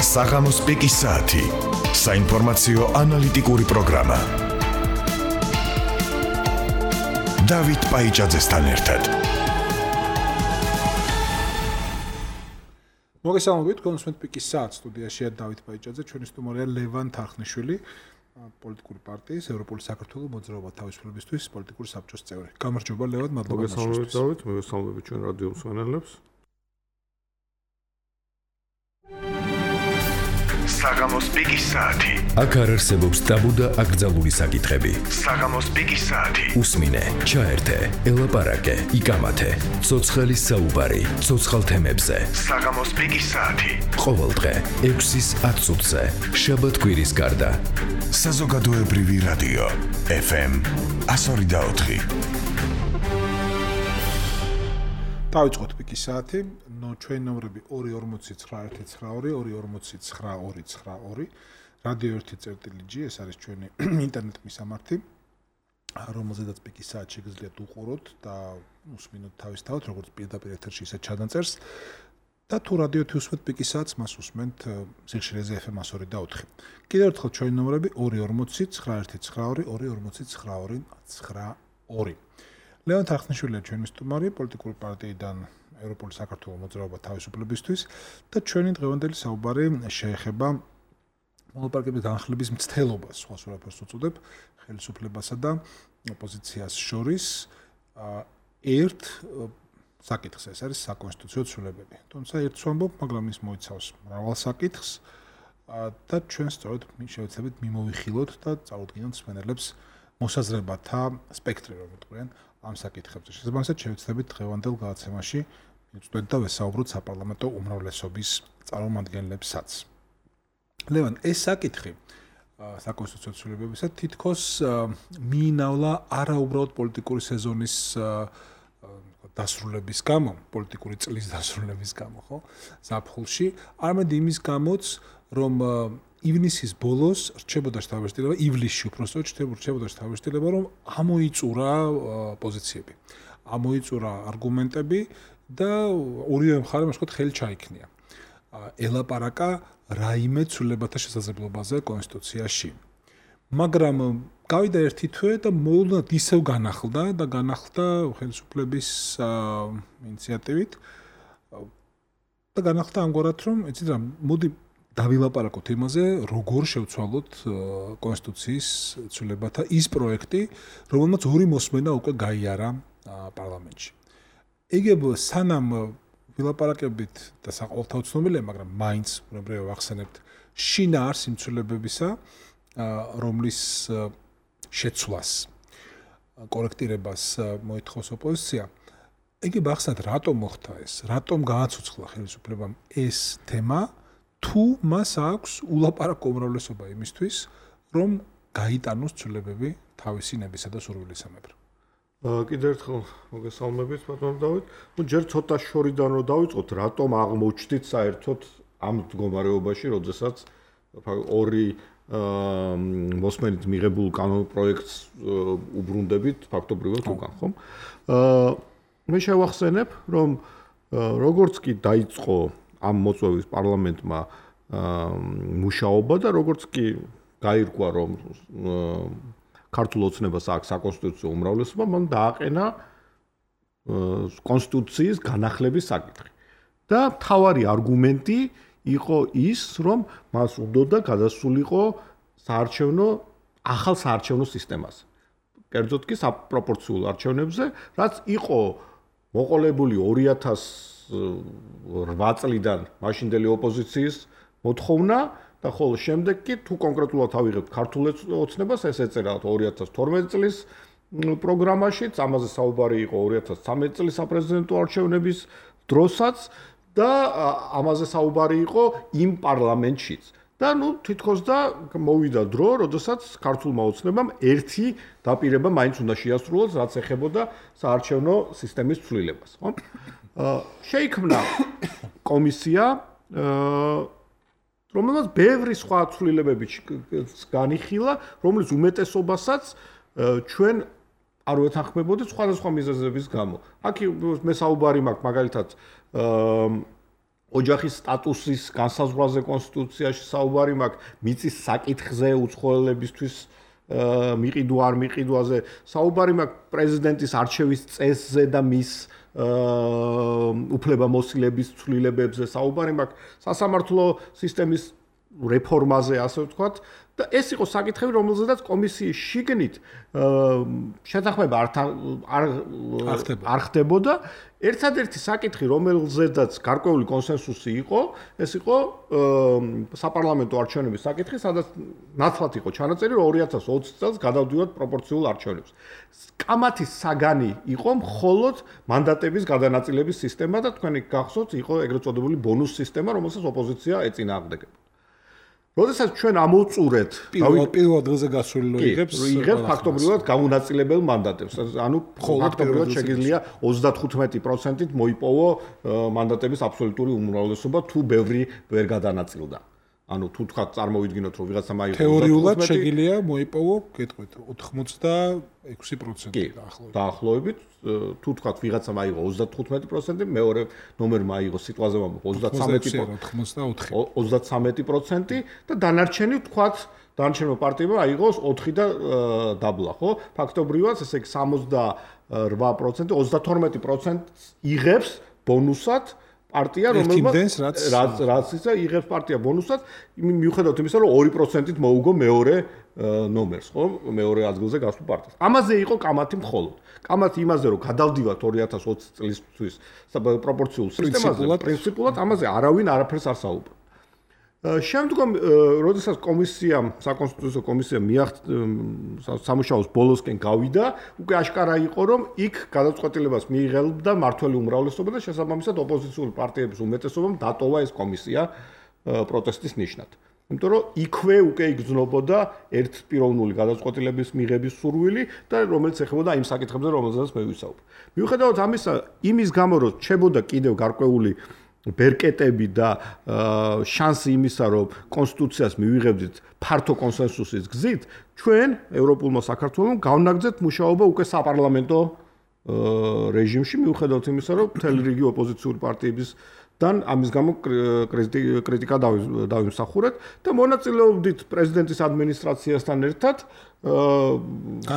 საღამოს პიკის საათი. საინფორმაციო ანალიტიკური პროგრამა. დავით პაიჭაძესთან ერთად. მოგესალმებით, კონსუმენტ პიკის საათს სტუდიაშია დავით პაიჭაძე, ჩვენი სტუმარია ლევან თარხნიშვილი, პოლიტიკური პარტიის ევროპული საქართველოს მოძრაობა თავისუფლებისთვის პოლიტიკური საბჭოს წევრი. გამარჯობა ლევან, მადლობა. მოგესალმებით დავით, მოგესალმებით ჩვენ რადიო მსმენელებს. საღამოს პიკის საათი. აქ არ არსებობს ტაბუ და აკრძალული საკითხები. საღამოს პიკის საათი. უსმინე, ჩაერთე, ელაპარაკე, იკამათე. ცოცხალი საუბარი, ცოცხალ თემებზე. საღამოს პიკის საათი. ყოველდღე 6-ის 10 წუთზე, შაბათ-კვირის გარდა. საზოგადოებრივი რადიო FM 102.4. დავიწყოთ პიკის საათი. ჩვენი ნომრები 2491292 2492292. რადიო 1.G, ეს არის ჩვენი ინტერნეტ მისამართი, რომელზედაც პიკის საათი შეგიძლიათ უყუროთ და უსმინოთ თავისთავად, როგორც პირდაპირ ეთერში, ისე ჩადანწერს. და თუ რადიო უსმენთ პიკის საათს, მას უსმენთ სიხშირეზე FM 102.4. კიდევ ერთხელ ჩვენი ნომრები 2491292 2492292. ლევან თარხნიშვილია ჩვენი სტუმარი, პოლიტიკური პარტიიდან ევროპული საქართველოს მოძრაობა თავისუფლებისთვის და ჩვენი დღევანდელი საუბარი შეეხება მონოპარკების განხილვის მცდელობას, სხვას ვერაფერს უწოდებ, ხელისუფლებასა და ოპოზიციას შორის ერთ საკითხს, ეს არის საკონსტიტუციო ცვლილებები. თუმცა ერთს ვამბობ, მაგრამ ის მოიცავს მრავალ საკითხს და ჩვენ სწორედ შევეცდებით მიმოვიხილოთ და წავუდგინოთ მსმენელებს მოსაზრებათა სპექტრი, რომ ვიტყვიან ამ საკითხებზე. შესაბამისად, შევეცდებით დღევანდელ გადაცემაში მივწვდეთ და ვესაუბროთ საპარლამენტო უმრავლესობის წარმომადგენლებსაც. ლევან, ეს საკითხი საკონსტიტუციო ცვლილებებისა თითქოს მიინავლა არაუბრალოდ პოლიტიკური სეზონის დასრულების გამო, პოლიტიკური წლის დასრულების გამო, ხო? ზაფხულში, არამედ იმის გამოც, რომ ივნისის ბოლოს რჩებოდა შთაბეჭდილება, ივლისში უпростоოდ რჩებოდა შთაბეჭდილება, რომ ამოიწურა პოზიციები, ამოიწურა არგუმენტები და ორივე მხარემ ასე ვთქვათ ხელი ჩაიქნია. ელაპარაკა რაიმე ცვლილებათა შესაძლებლობაზე კონსტიტუციაში. მაგრამ გავიდა ერთი თვე და მოულოდნელად ისევ განახლდა ხელისუფლების ინიციატივით და განახლდა ამგვარად, რომ იცით რა, მოდი დავილაპარაკოთ იმაზე, როგორ შევცვალოთ კონსტიტუციის ცვლილებათა ის პროექტი, რომელმაც ორი მოსმენა უკვე გაიარა პარლამენტში. იგივე სანამ ვილაპარაკებით და საყოველთაოდ ცნობილია, მაგრამ მაინც უბრალოდ ვახსენებთ, შინაარს იმ ცვლილებებისა, რომლის შეცვლას, კორექტირებას მოითხოვს ოპოზიცია. იგივე ახსნათ, რატომ მოხდა ეს, რატომ გააცოცხლა ხელისუფლებამ ეს თემა, თუ მას აქვს ულაპარაკო უმრავლესობა იმისთვის, რომ გაიტანოს ცვლილებები თავისი ნებისა და სურვილისამებრ. კიდევ ერთხელ მოგესალმებით, ბატონო დავით. ჯერ ცოტა შორიდან რომ დავიწყოთ, რატომ აღმოჩნდით საერთოდ ამ მდგომარეობაში, როდესაც ორი მოსმენით მიღებულ კანონ პროექტს უბრუნდებით ფაქტობრივად უკან, ხომ? მე შევახსენებ, რომ როგორც კი დაიწყო ამ მოწვევის პარლამენტმა მუშაობა და როგორც კი გაირკვა, რომ ქართულ ოცნებას აქვს საკონსტიტუციო უმრავლესობა, მან დააყენა კონსტიტუციის განახლების საკითხი. და მთავარი არგუმენტი იყო ის, რომ მას უნდოდა გადასულიყო ახალ საარჩევნო სისტემაზე. კერძოდ კი საპროპორციულ არჩევნებზე, რაც იყო მოყოლებული 2008 წლიდან მაშინდელი ოპოზიციის მოთხოვნა და ხოლო შემდეგ კი თუ კონკრეტულად ავიღებთ ქართულ ოცნებას, ეს ეწერა 2012 წლის პროგრამაშიც, ამაზე საუბარი იყო 2013 წლის საპრეზიდენტო არჩევნების დროსაც და ამაზე საუბარი იყო იმ პარლამენტშიც. და თითქოს და მოვიდა დრო, როდესაც ქართულმა ოცნებამ ერთი დაპირება მაინც უნდა შეასრულოს, რაც ეხებოდა საარჩევნო სისტემის ცვლილებას, ხო? შეიქმნა კომისია, რომელმაც ბევრი სხვა ცვლილებები განიხილა, რომლის უმეტესობასაც ჩვენ არ ვეთანხმებოდით სხვადასხვა მიზეზების გამო. აქ მე საუბარი მაქვს მაგალითად ოჯახის სტატუსის განსაზღვრაზე კონსტიტუციაში საუბარი მაქვს, მიწის საკითხზე უცხოელებისთვის მიყიდვა არ მიყიდვაზე საუბარი მაქვს, პრეზიდენტის არჩევის წესზე და მის უფლებამოსილების ცვლილებებზე საუბარი მაქვს, სასამართლო სისტემის რეფორმაზე, ასე ვთქვათ, და ეს იყო საკითხები, რომელზედაც კომისიის შიგნით შეთანხმება არ ხდებოდა. ერთადერთი საკითხი, რომელზედაც გარკვეული კონსენსუსი იყო, ეს იყო საპარლამენტო არჩევნების საკითხი, სადაც ნაცვლად იყო ჩანაწერი, რომ 2020 წელს გადავდივართ პროპორციულ არჩევნებს. კამათის საგანი იყო მხოლოდ მანდატების გადანაწილების სისტემა და თქვენი გახსოვთ, იყო ეგრეთ წოდებული ბონუს სისტემა, რომელსაც ოპოზიცია ეწინააღმდეგებდა. როდესაც ჩვენ ამოვწურეთ პირველ დღეზე გასული იღებს ფაქტობრივად გამონაწილებელ მანდატებს. ანუ ფაქტობრივად შეგიძლია 35%-ით მოიპოვო მანდატების აბსოლუტური უმრავლესობა, თუ ბევრი ვერ გადანაწილდა. ანუ თუ თქვა წარმოვიდგინოთ, რომ ვიღაცამ აიღო თეორიულად შეგიძლია მოიპოვო, გეტყვით, 86% დაახლოებით. თუ თქვა ვიღაცამ აიღო 35%, მეორე ნომერმა აიღო სიტყვაზე ვამბობ 33% და დანარჩენი თქვა დანარჩენმა პარტიებმა აიღოს 4 და დაბლა, ხო? ფაქტობრივად ესე იგი 68%, 32% იღებს ბონუსად პარტია, რომელმაც რაც ისა იღებს პარტია ბონუსად, მიუხედავად იმისა, რომ 2%-ით მოუგო მეორე ნომერს, ხო? მეორე ადგილზე გასულ პარტიას. ამაზე იყო კამათი მხოლოდ. კამათი იმაზე, რომ გადავდივართ 2020 წლისთვის პროპორციულ სისტემაზე, პრინციპულად ამაზე არავინ არაფერს არ საუბრობს. შემდგომ, როდესაც საკონსტიტუციო კომისია სამუშაოს ბოლოსკენ გავიდა, უკვე აშკარა იყო, რომ იქ გადაწყვეტილებას მიიღებდა მართველი უმრავლესობა და შესაბამისად ოპოზიციური პარტიების უმეტესობამ დატოვა ეს კომისია პროტესტის ნიშნად. იმიტომ რომ იქვე უკვე იგრძნობოდა ერთპიროვნული გადაწყვეტილების მიღების სურვილი და რომელიც ეხებოდა იმ საკითხებზე, რომელზედაც მე ვისაუბრე. მიუხედავად ამისა, იმის გამო რომ რჩებოდა კიდევ გარკვეული ბერკეტები და შანსი იმისა, რომ კონსტიტუციას მივიღებდით ფართო კონსენსუსის გზით, ჩვენ ევროპულმა საქართველომ გავნაგზეთ მუშაობა უკვე საპარლამენტო რეჟიმში, მიუხედავად იმისა, რომ მთელი რიგი ოპოზიციური პარტიებისგან ამის გამო კრიტიკა დავიმსახურეთ და მონაწილეობდით პრეზიდენტის ადმინისტრაციასთან ერთად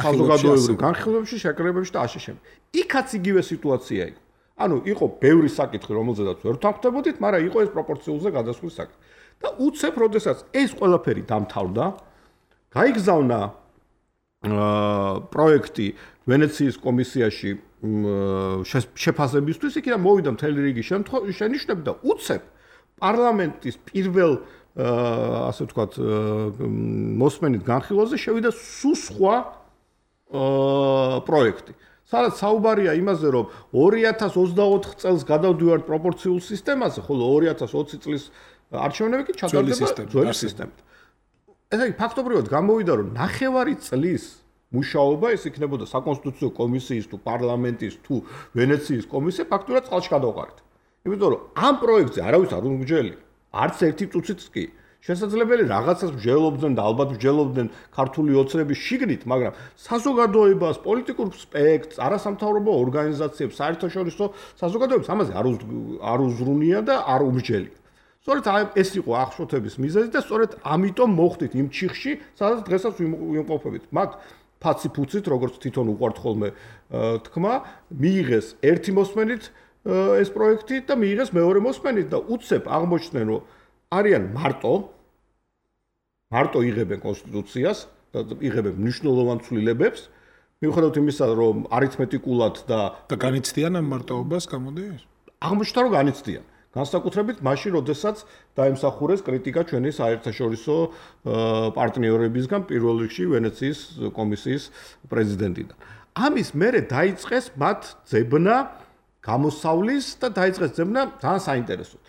საზოგადოებრივ განხილვებში, შეკრებებში და ასე შემდეგ. იქაც იგივე სიტუაცია იყო. ანუ იყო ბევრი საკითხი, რომელზედაც ვერ ვთანხმდებოდით, მაგრამ იყო ეს პროპორციულზე გადასვლის საკითხი. და უცებ, როდესაც ეს ყველაფერი დამთავრდა, გაიგზავნა პროექტი ვენეციის კომისიაში შეფასებისთვის, იქიდან მოვიდა მთელი რიგი შენიშვნები და უცებ პარლამენტის პირველ ასე ვთქვათ მოსმენით განხილვაზე შევიდა სულ სხვა პროექტი. სადაც საუბარია იმაზე, რომ 2024 წელს გადავდივართ პროპორციულ სისტემაზე, ხოლო 2020 წლის არჩევნები კი ჩატარდება ძველი სისტემით. ესე იგი, ფაქტობრივად გამოვიდა, რომ ნახევარი წლის მუშაობა ეს იქნებოდა საკონსტიტუციო კომისიის თუ პარლამენტის თუ ვენეციის კომისია ფაქტურად წყალში გადავყარეთ. იმიტომ რომ ამ პროექტზე არავის არ უმგჯელი, არც ერთი წუთიც კი. შესაძლებელი რაღაცას მსჯელობდნენ და ალბათ მსჯელობდნენ ქართული ოცნების შიგნით, მაგრამ საზოგადოებას, პოლიტიკურ სპექტრს, არასამთავრობო ორგანიზაციებს, საერთაშორისო საზოგადოებას ამაზე არ უზრუნია და არ უმსჯელია. სწორედ ეს იყო აღშფოთების მიზეზი და სწორედ ამიტომ მოხდით იმ ჩიხში, სადაც დღესაც ვიმყოფებით. მათ ფაცი-ფუცით, როგორც თვითონ უყვართ ხოლმე თქმა, მიიღეს ერთი მოსმენით ეს პროექტი და მიიღეს მეორე მოსმენით და უცებ აღმოჩნდნენ, რომ არიან მარტო იღებენ კონსტიტუციას და იღებენ მნიშვნელოვან ცვლილებებს, მიუხედავად იმისა, რომ არითმეტიკულად და განიცდიან ამ მარტოობას, გამოდის? აღმოჩნდა, რომ განიცდიან. განსაკუთრებით მაშინ, როდესაც დაემსახურეს კრიტიკა ჩვენი საერთაშორისო პარტნიორებისგან, პირველ რიგში ვენეციის კომისიის პრეზიდენტიდან. ამის მერე დაიწყეს მათ ძებნა გამოსავლის და დაიწყეს ძებნა ძალიან საინტერესო.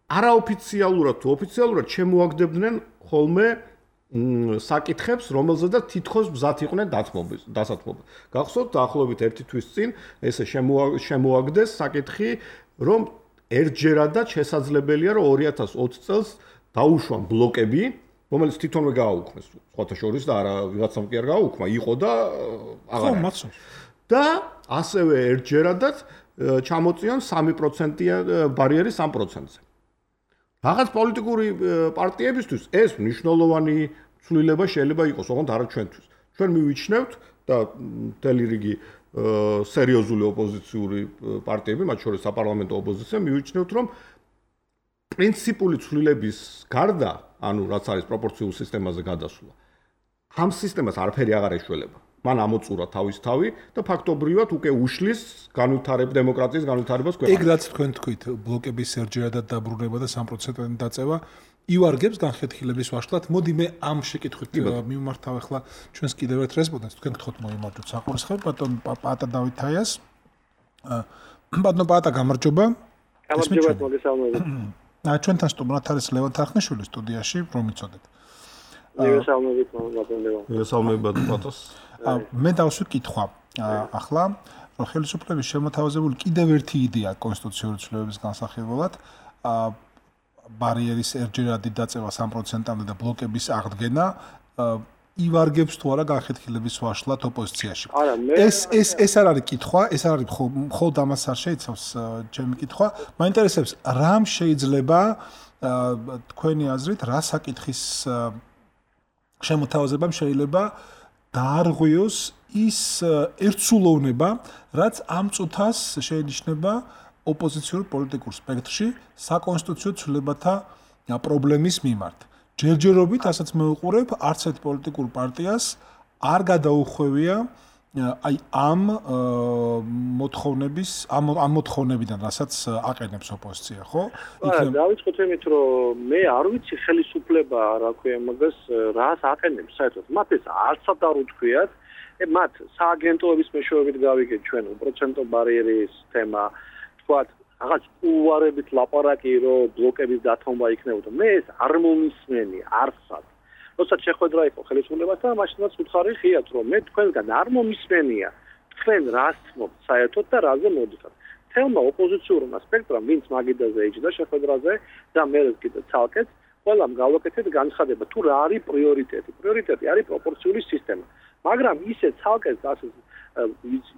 არაოფიციალურად თუ ოფიციალურად შემოაგდებდნენ ხოლმე საკითხებს, რომელზედაც თითქოს მზად იყვნენ დასათმობა. გახსოვთ, დაახლოებით 1 თვის წინ ესე შემოაგდეს საკითხი, რომ ერთჯერადად შესაძლებელია, რომ 2020 წელს დაუშვან ბლოკები, რომელიც თვითონვე გააუქმეს, სხვათა შორის და არა ვიღაცამ კი არ გააუქმა, იყო და აღარ. და ასევე ერთჯერადად ჩამოწიან 3% ბარიერი 3%-ზე. რაღაც პოლიტიკური პარტიებისთვის ეს მნიშვნელოვანი ცვლილება შეიძლება იყოს, ოღონდ არა ჩვენთვის. ჩვენ მივიჩნევთ და მთელი რიგი სერიოზული ოპოზიციური პარტიები, მათ შორის საპარლამენტო ოპოზიცია, მივიჩნევთ, რომ პრინციპული ცვლილების გარდა, ანუ რაც არის პროპორციულ სისტემაზე გადასვლა, ამ სისტემას არაფერი აღარ ეშველება. მან ამოწურა თავის თავი და ფაქტობრივად უკვე უშლის დემოკრატიის განვითარებას ქვეყანაში. ეგ რაც თქვენ თქვით, ბლოკების ერჯერადად დაბრუნება და 3%-იანი დაწევა ივარგებს განხეთქილების ვაშლად. მოდი მე ამ შეკითხვით მიმართავ ახლა ჩვენს კიდევ ერთ რესპონდენტს. თქვენ გთხოვთ მოიმარჯვოთ საყურისხმევ ბატონ პაატა დავითაიას. ბატონ პაატა, გამარჯობა. გამარჯობა, მოგესალმებით. ჩვენთან სტუმრად არის ლევან თარხნიშვილი სტუდიაში, რომ იცოდეთ. მოგესალმებით, ბატონ ლევან. მოგესალმებით, ბატონ პაატას. მე დავსვი კითხვა. ახლა ხელისუფლების შემოთავაზებული კიდევ ერთი იდეა კონსტიტუციური ცვლილებების განსახილველად, ბარიერის ერჯერადი დაწევა 3%-ამდე და ბლოკების აღდგენა ივარგებს თუ არა განხეთქილების ვაშლად ოპოზიციაში. ეს არ არის კითხვა, ეს არ არის მხოლოდ ამას არ შეიცავს ჩემი კითხვა. მაინტერესებს, რამ შეიძლება თქვენი აზრით, რა საკითხის შემოთავაზებამ შეიძლება დაარღვიოს ის ერთსულოვნება, რაც ამ წუთას შეინიშნება ოპოზიციურ პოლიტიკურ სპექტრში საკონსტიტუციო ცვლილებათა პრობლემის მიმართ. ჯერჯერობით, ასაც მეუყურებ, არც ერთ პოლიტიკურ პარტიას არ გადაუხვევია აი ამ მოთხოვნებიდან, რასაც აყენებს ოპოზიცია, ხო? დავიწყოთ იმით, რომ მე არ ვიცი ხელისუფლება, რა ქვია მაგას, რას აყენებს საერთოდ. მათ ეს არცად არ უთქვიათ. მათ სააგენტოების მეშვეობით გავიგეთ ჩვენ უპროცენტო ბარიერის თემა, თქვათ, რაღაც უვარებით ლაპარაკი, რომ ბლოკების დათმობა იქნებოდა. მე ეს არ მომისმენი, არცად. როდესაც შეხვედრა იყო ხელისუფლებასთან, მაშინაც უთხარი ხიათ, რომ მე თქვენგან არ მომისმენია, თქვენ რას თმობთ საერთოდ და რაზე მოდიხართ. თელმა ოპოზიციურმა სპექტრამ, ვინც მაგიდაზე იჯდა შეხვედრაზე და მე კიდე ცალკეთ, ყველამ გავაკეთეთ განცხადება, თუ რა არის პრიორიტეტი. პრიორიტეტი არის პროპორციული სისტემა. მაგრამ ისე ცალკეთ ასე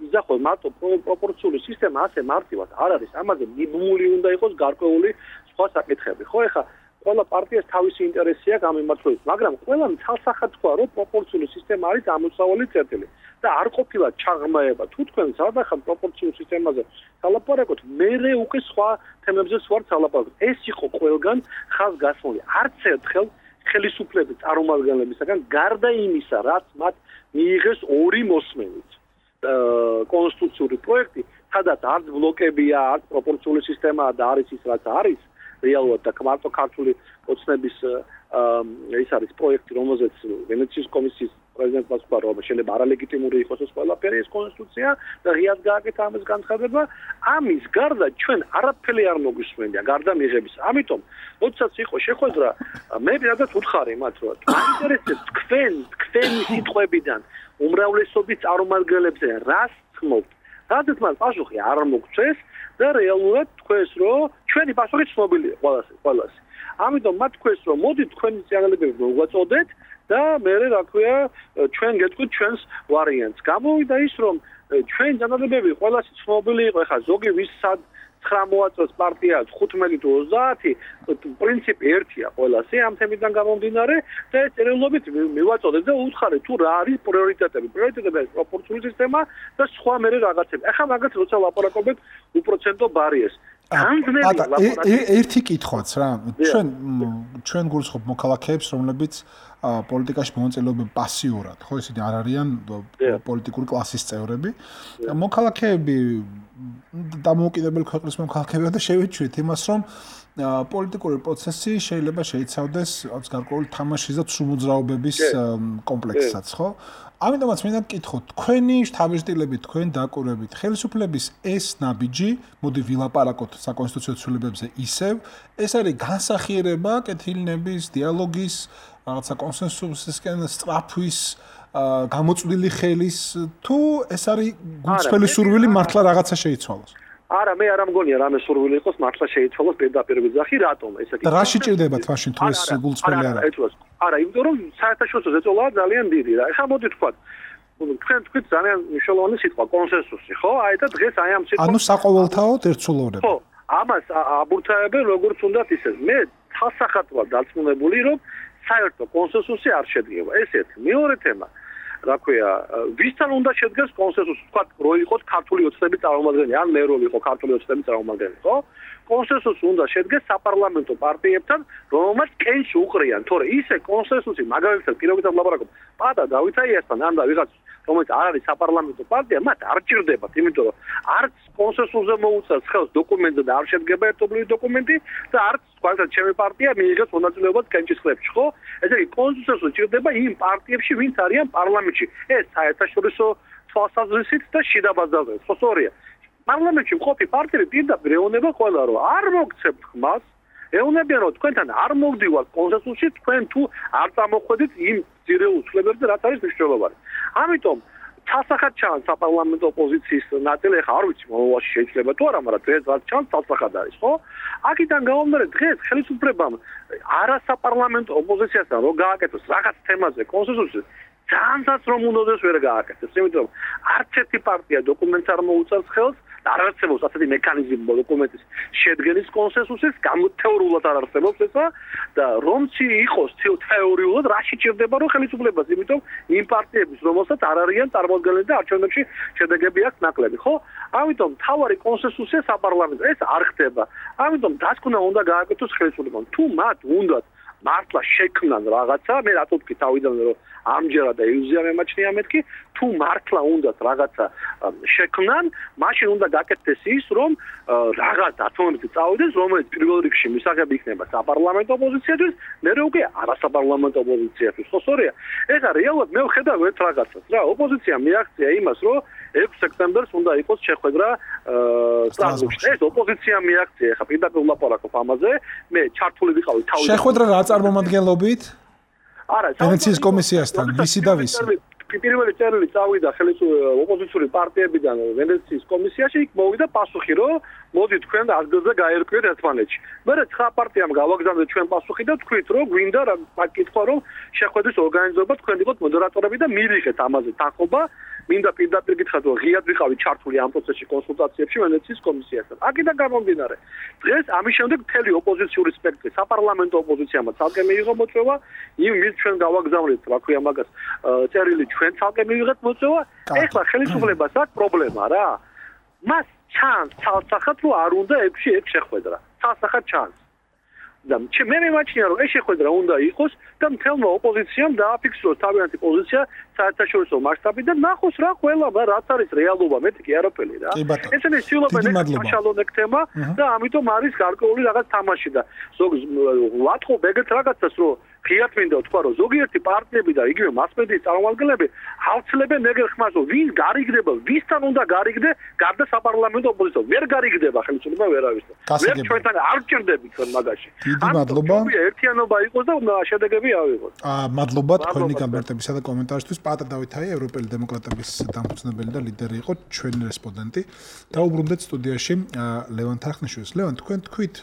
იზახო მარტო პროპორციული სისტემა ასე მარტივად არ არის. ამაზე მიბმული უნდა იყოს გარკვეული სხვა საკითხები. ხო, ეხლა ყველა პარტიას თავისი ინტერესი აქვს ამ მიმართულებით, მაგრამ ყველამ ცალსახად თქვა, რომ პროპორციული სისტემა არის ამოსავალი წერტილი და არ ყოფილა ჩაღმაება. თუ თქვენ სადახან პროპორციულ სისტემაზე თალაპარაკოთ, მერე უკვე სხვა თემებზე ვარ თალაპარაკოთ. ეს იყო ყველგან ხაზგასმული. არც ერთხელ ხელისუფლების წარმომადგენლებისგან გარდა იმისა, რაც მათ მიიღეს ორი მოსმენით კონსტიტუციური პროექტი, სადაც არც ბლოკებია, არც პროპორციული სისტემაა და არის ის, რაც არის რეალურად და მარტო ქართული ოცნების ის არის პროექტი, რომელზეც ვენეციის კომისიის პრეზიდენტმა თქვა, რომ შეიძლება არალეგიტიმური იყოს ეს ყველაფერი, ეს კონსტიტუცია და ღიად გააკეთა ამის განცხადება. ამის გარდა ჩვენ არაფერი არ მოგვისმენია, გარდა მიღების. ამიტომ, როდესაც იყო შეხვედრა, მე პირადად უთხარი მათ, რომ მაინტერესებს თქვენი სიტყვებიდან უმრავლესობის წარმომადგენლებზე რას თმობთ. რადგან მან პასუხი არ მოგწეს და რეალურად თქვეს, რომ ჩვენი პასუხი ცნობილია ყველას. ამიტომ მათ თქვეს, რომ მოდით თქვენი წინააღმდეგები მოგვაწოდეთ და მე რა ქვია ჩვენ გეტყვით ჩვენს ვარიანტს. გამოვიდა ის, რომ ჩვენ წინააღმდეგები ყველას ცნობილი იყო, ეხლა ზოგი ვისაც 9 მოაწოს პარტია 15 თუ 30 პრინციპი ერთია ყველასე ამ თემიდან გამომდინარე და ეს რეალობით მივაწოდეთ და უთხარით თუ რა არის პრიორიტეტები. პრიორიტეტები არის პროპორციული სისტემა და სხვა მე რაღაცები. ახლა მაგათ როცა ლაპარაკობთ უპროცენტო ბარიერს. ერთი კითხვაც რა. ჩვენ გულისხმობ მოქალაქეებს, რომლებიც პოლიტიკაში მონაწილეობენ პასიურად, ხო, ისინი არ არიან პოლიტიკური კლასის წევრები. მოქალაქეები დამოუკიდებელი ქვეყნის მოქალაქეებია და შევეჩვით იმას, რომ პოლიტიკური პროცესი შეიძლება შეიცავდეს გარკვეული თამაშის და სრულმოძრაობების კომპლექსსაც, ხო? ამიტომაც მინდა გკითხოთ, თქვენი შთაბეჭდილებით, თქვენ დაკვირვებით, ხელისუფლების ეს ნაბიჯი, მოდი ვილაპარაკოთ საკონსტიტუციო ცვლილებებზე ისევ, ეს არის განსახიერება კეთილნების, დიალოგის, რაღაცა კონსენსუსისკენ სწრაფვის, გამოწვდილი ხელის, თუ ეს არის გულწრფელი სურვილი მართლა რაღაცა შეიცვალოს? არა, მე არ მგონია რამე სურვილი იყოს მართლა შეიცვალოს პირდაპირ ვიზახი, რატომ ესე კი? და რა შეჭირდებათ მაშინ თუ ეს გულწრფელი არა? არა, იმიტომ რომ საერთაშორისო ზეწოლაა ძალიან დიდი რა. ეხლა მოდი თქვა, თქვენ თქვით ძალიან მნიშვნელოვანი სიტყვა კონსენსუსი, ხო? აი და დღეს აი ამ სიტყვას ანუ საყოველთაოდ ერთსულოვნება. ხო, ამას აბურთაებენ როგორც უნდათ ისე. მე თალსახად ვარ დარწმუნებული, რომ საერთო კონსენსუსი არ შედგება. ეს ერთი. მეორე თემა რა ქვია, ვისთან უნდა შედგეს კონსენსუსი, თქვა რო იყოს ქართული ოცნების წარმომადგენელი, ან მე რო ვიყო ქართული ოცნების წარმომადგენელი, ხო? კონსენსუსი უნდა შედგეს საპარლამენტო პარტიებთან, რომელმაც კენჭი უყრიან, თორე ისე კონსენსუსი მაგალითად პირობითად ვლაპარაკობ, პატა დავითაიასთან ან და ვიღაც რომელიც არ არის საპარლამენტო პარტია, მათ არ ჭირდებათ, იმიტომ რომ არც კონსენსუსზე მოუწევს ხელს დოკუმენტზე და არ შედგება ერთობლივი დოკუმენტი და არც თქვათ ჩემი პარტია მიიღებს მონაწილეობას კენჭის ხლებში, ხო? ესე იგი კონსენსუსი ჭირდება იმ პარტიებში, ვინც არიან პარლამენტში. ეს საერთაშორისო თვალსაზრისით და შიდა ბაზარზე, ხო სწორია. პარლამენტში მყოფი პარტიები პირდაპირ ეუბნება ყველა, რომ არ მოგცემთ ხმას, ეუბნებიან, რომ თქვენთან არ მოგდივართ კონსენსუსში, თქვენ თუ არ წამოხვედით იმ ძირეულ ცვლილებებზე, რაც არის მნიშვნელოვანი. ამიტომ თალსახად ჩანს საპარლამენტო ოპოზიციის ნაწილი, ახლა არ ვიცი მომავალში შეიძლება თუ არა, მაგრამ დღეს რაც ჩანს თალსახად არის, ხო? აქედან გამომდინარე დღეს ხელისუფლებამ არასაპარლამენტო ოპოზიციასთან რო გააკეთოს რაღაც თემაზე კონსენსუსი ძალიანაც რომ უნდადეს ვერ გააკეთოს, იმიტომ რომ არც ერთი პარტია დოკუმენტს არ მოუწევს ხელს და არ არსებობს ასეთი მექანიზმი დოკუმენტის შედგენის კონსენსუსის, თეორიულად არ არსებობს ესა და რომც იყოს თეორიულად რაში ჭირდება რომ ხელისუფლებას, იმიტომ იმ პარტიების რომელსაც არ არიან წარმოადგენლები და არჩევნებში შედეგები აქვს ნაკლები, ხო? ამიტომ თავარი კონსენსუსია საპარლამენტო ეს არ ხდება. ამიტომ დასკვნა უნდა გააკეთოს ხელისუფლებამ. თუ მათ უნდათ მართლა შექმნან რაღაცა, მე რატო ვთქვი თავიდან რომ ამჯერად და ილუზია მემაჩნია მეთქი, თუ მართლა უნდათ რაღაცა შექმნან, მაშინ უნდა გაკეთდეს ის, რომ რაღაც დათმობები წავიდეს, რომელიც პირველ რიგში მისაღები იქნება საპარლამენტო ოპოზიციისთვის, მერე უკვე არასაპარლამენტო ოპოზიციისთვის, ხო სწორია? ეხლა რეალურად მე ვხედავ ერთ რაღაცას რა, ოპოზიცია მიაღწია იმას, რომ 6 სექტემბერს უნდა იყოს შეხვედრა სტრასბურგში. ეს ოპოზიცია მიაღწია, ეხლა პირდაპირ ვლაპარაკობ ამაზე, მე ჩართული ვიყავი თავი. შეხვედრა რა წარმომადგენლობით? არა, ვენეციის კომისიასთან, ვისი და ვისი? პირველი წერილი წავიდა ოპოზიციური პარტიებიდან ვენეციის კომისიაში, იქ მოვიდა პასუხი, რომ მოდი თქვენ ადგილზე გაერკვიეთ ერთმანეთში. მერე 9 პარტიამ გავაგზავნეთ ჩვენ პასუხი და თქვით, რომ გვინდა რა კითხვა, რომ შეხვედრის ორგანიზება თქვენ იყოთ მოდერატორები და მივიღეთ ამაზე თანხმობა. მინდა პირდაპირ გითხრათ, რომ ღიად ვიყავი ჩართული ამ პროცესში კონსულტაციებში ვენეციის კომისიასთან. აქედან გამომდინარე, დღეს ამის შემდეგ მთელი ოპოზიციური სპექტრი, საპარლამენტო ოპოზიციამ ცალკე მიიღო მოწვევა, იმის ჩვენ გავაგზავნეთ, რა ქვია მაგას, წერილი ჩვენ ცალკე მივიღეთ მოწვევა. ეხლა ხელისუფლებას აქვს პრობლემა რა. მას ჩანს თალსახად, რომ არ უნდა 6-6 შეხვედრა. თალსახად ჩანს. და მე მემაჩნია, რომ ეს შეხვედრა უნდა იყოს და მთელმა ოპოზიციამ დააფიქსიროს თავიანთი პოზიცია საერთაშორისო მასშტაბით და ნახოს რა ყველა რაც არის რეალობა, მეთქი კი არაფერი რა. ესენი ცდილობენ საშუალო თემა და ამიტომ არის გარკვეული რაღაც თამაში და ვატყობ ეგეთ რაღაცას, რომ ღიად მინდა ვთქვა, რომ ზოგიერთი პარტიები და იგივე მასმედიის წარმომადგენლები ავცლებენ ეგერ ხმას, რომ ვინ გარიგდება, ვისთან უნდა გარიგდე, გარდა საპარლამენტო ოპოზიციას. ვერ გარიგდება ხელისუფლება ვერავის. ვერ ჩვენთან არ ჭირდებით თქვენ მაგაში. დიდი მადლობა. ერთიანობა იყოს და შედეგები ავიღოთ. მადლობა თქვენი გამარტებისა და კომენტარისთვის. პატა დავითაია, ევროპელი დემოკრატების დამფუძნებელი და ლიდერი იყო ჩვენი რესპონდენტი. დაუბრუნდეთ სტუდიაში ლევან თარხნიშვილს. ლევან, თქვენ თქვით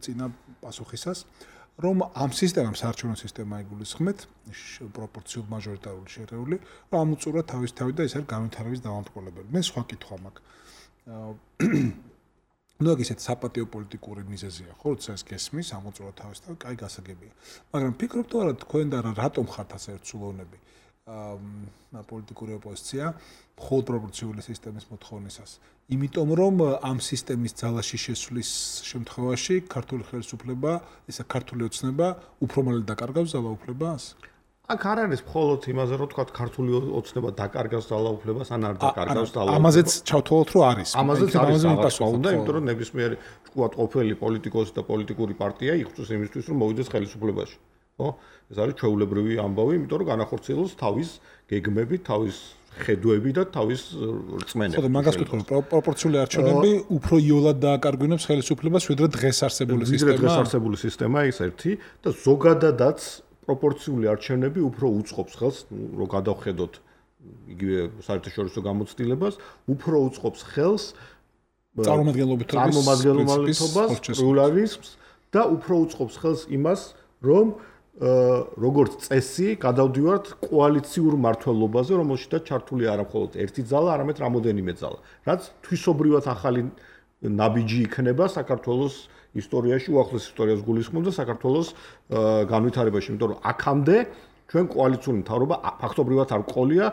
წინა პასუხისას, რომ ამ სისტემამ საარჩევნო სისტემა იგულისხმეთ პროპორციულ მაჟორიტარული შერეული, რომ ამოწურა თავისთავად და ეს არის განვითარების დამამტყველებელი. მე სხვა კითხვა მაქვს. ნუ ეგეთ საპატიო პოლიტიკური მიზეზია, ხო, როცა ეს გესმის, ამოწურა თავისთავად, კაი გასაგებია. მაგრამ ფიქრობთ თუ არა თქვენ და რატომ ხართ ასე ერთსულოვნები? პოლიტიკური ოპოზიცია მხოლოდ პროპორციული სისტემის მოთხოვნისას. იმიტომ რომ ამ სისტემის ძალაში შესვლის შემთხვევაში ქართული ხელისუფლება, ისა ქართული ოცნება უფრო მალე დაკარგავს ძალაუფლებას? აქ არ არის მხოლოდ იმაზე, რომ თქვა ქართული ოცნება დაკარგავს ძალაუფლებას, ან არ დაკარგავს ძალაუფლებას. ამაზეც ჩავთვალოთ, რომ არის. ამაზეც არის პასუხი უნდა, იმიტომ რომ ნებისმიერი თქვა ყოფილი პოლიტიკოსი და პოლიტიკური პარტია იხსნის იმისთვის, რომ მოვიდეს ხელისუფლებაში. ხო? ეს არის ჩვეულებრივი ამბავი, იმიტომ რომ განახორციელოს თავის გეგმები, თავის ხედვები და თავის რწმენები. ხო, მაგას ვიტყვი, პროპორციული არჩევნები უფრო იოლად დააკარგვინებს ხელისუფლებას, ვიდრე დღეს არსებული სისტემა. დღეს არსებული სისტემა ის ერთი და ზოგადადაც პროპორციული არჩევნები უფრო უწყობს ხელს, რომ გადავხედოთ იგივე საერთაშორისო გამოცდილებას, უფრო უწყობს ხელს წარმომადგენლობითობის პლურალიზმს და უფრო უწყობს ხელს იმას, რომ როგორც წესი გადავდივართ კოალიციურ მმართველობაზე, რომელშიც ჩართული არა მხოლოდ ერთი ძალა, არამედ რამოდენიმე ძალა. რაც თვისობრივად ახალი ნაბიჯი იქნება საქართველოს ისტორიაში, უახლოს ისტორიას გულისხმობს და საქართველოს განვითარებაში, იმიტომ რომ აქამდე ჩვენ კოალიციური მთავრობა ფაქტობრივად არ ყოლია,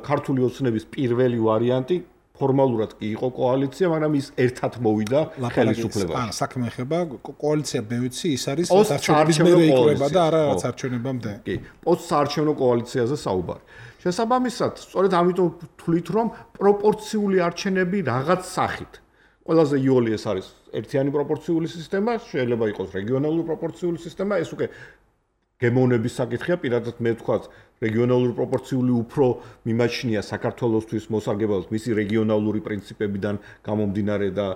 ქართული ოცნების პირველი ვარიანტი ფორმალურად კი იყო კოალიცია, მაგრამ ის ერთად მოვიდა ხელისუფლებაში. საქმე ეხება კოალიცია, მე ვიცი, ის არის არჩევნების მერე იკრება და არა რაც არჩევნებამდე. კი, პოსტსაარჩევნო კოალიციაზე საუბარი. შესაბამისად, სწორედ ამიტომ ვთვლით, რომ პროპორციული არჩევნები რაღაც სახით. ყველაზე იოლი ეს არის ერთიანი პროპორციული სისტემა, შეიძლება იყოს რეგიონალური პროპორციული სისტემა, ეს უკვე გემოვნების საკითხია, პირადად მე ვთქვათ, რეგიონალური პროპორციული უფრო მიმაჩნია საქართველოსთვის მოსარგებლად მისი რეგიონალური პრინციპებიდან გამომდინარე და